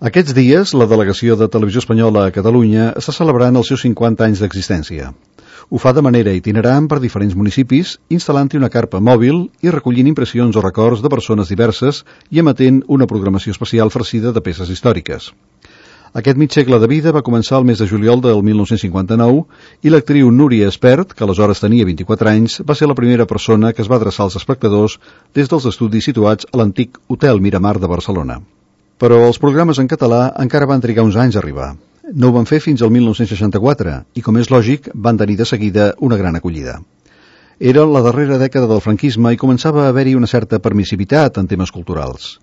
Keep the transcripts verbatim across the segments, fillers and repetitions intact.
Aquests dies, la delegació de Televisió Espanyola a Catalunya està celebrant els seus cinquanta anys d'existència. Ho fa de manera itinerant per diferents municipis, instal·lant-hi una carpa mòbil i recollint impressions o records de persones diverses i emetent una programació especial farcida de peces històriques. Aquest mig segle de vida va començar el mes de juliol del mil nou-cents cinquanta-nou i l'actriu Núria Espert, que aleshores tenia vint-i-quatre anys, va ser la primera persona que es va adreçar als espectadors des dels estudis situats a l'antic Hotel Miramar de Barcelona. Però els programes en català encara van trigar uns anys a arribar. No ho van fer fins al mil nou-cents seixanta-quatre i, com és lògic, van tenir de seguida una gran acollida. Era la darrera dècada del franquisme i començava a haver-hi una certa permissivitat en temes culturals.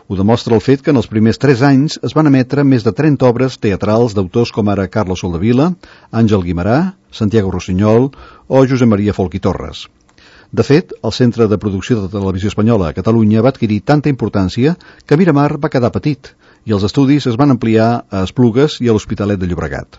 Ho demostra el fet que en els primers tres anys es van emetre més de trenta obres teatrals d'autors com ara Carlos Soldevila, Àngel Guimerà, Santiago Rossinyol o Josep Maria Folch i Torres. De fet, el Centre de Producció de Televisió Espanyola a Catalunya va adquirir tanta importància que Miramar va quedar petit i els estudis es van ampliar a Esplugues i a l'Hospitalet de Llobregat.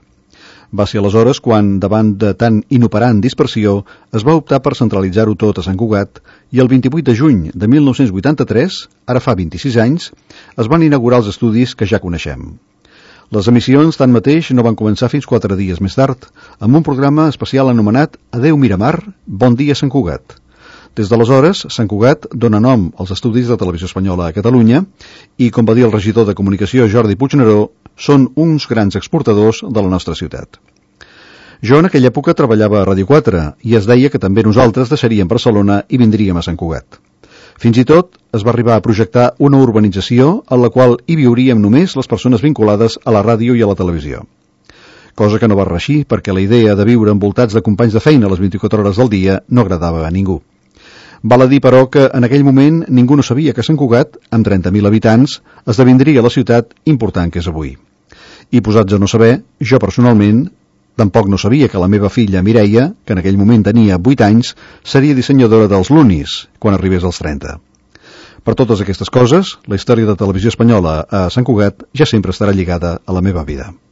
Va ser aleshores quan, davant de tan inoperant dispersió, es va optar per centralitzar-ho tot a Sant Cugat i el vint-i-vuit de juny de mil nou-cents vuitanta-tres, ara fa vint-i-sis anys, es van inaugurar els estudis que ja coneixem. Les emissions, tanmateix, no van començar fins quatre dies més tard, amb un programa especial anomenat Adeu Miramar, bon dia Sant Cugat. Des d'aleshores, Sant Cugat dona nom als estudis de Televisió Espanyola a Catalunya i, com va dir el regidor de Comunicació Jordi Puigneró, són uns grans exportadors de la nostra ciutat. Jo en aquella època treballava a Ràdio quatre i es deia que també nosaltres deixaríem Barcelona i vindríem a Sant Cugat. Fins i tot es va arribar a projectar una urbanització en la qual hi viuríem només les persones vinculades a la ràdio i a la televisió. Cosa que no va reeixir perquè la idea de viure envoltats de companys de feina a les vint-i-quatre hores del dia no agradava a ningú. Val a dir, però, que en aquell moment ningú no sabia que Sant Cugat, amb trenta mil habitants, esdevindria la ciutat important que és avui. I posats a no saber, jo personalment tampoc no sabia que la meva filla Mireia, que en aquell moment tenia vuit anys, seria dissenyadora dels Lunis quan arribés als trenta. Per totes aquestes coses, la història de Televisió Espanyola a Sant Cugat ja sempre estarà lligada a la meva vida.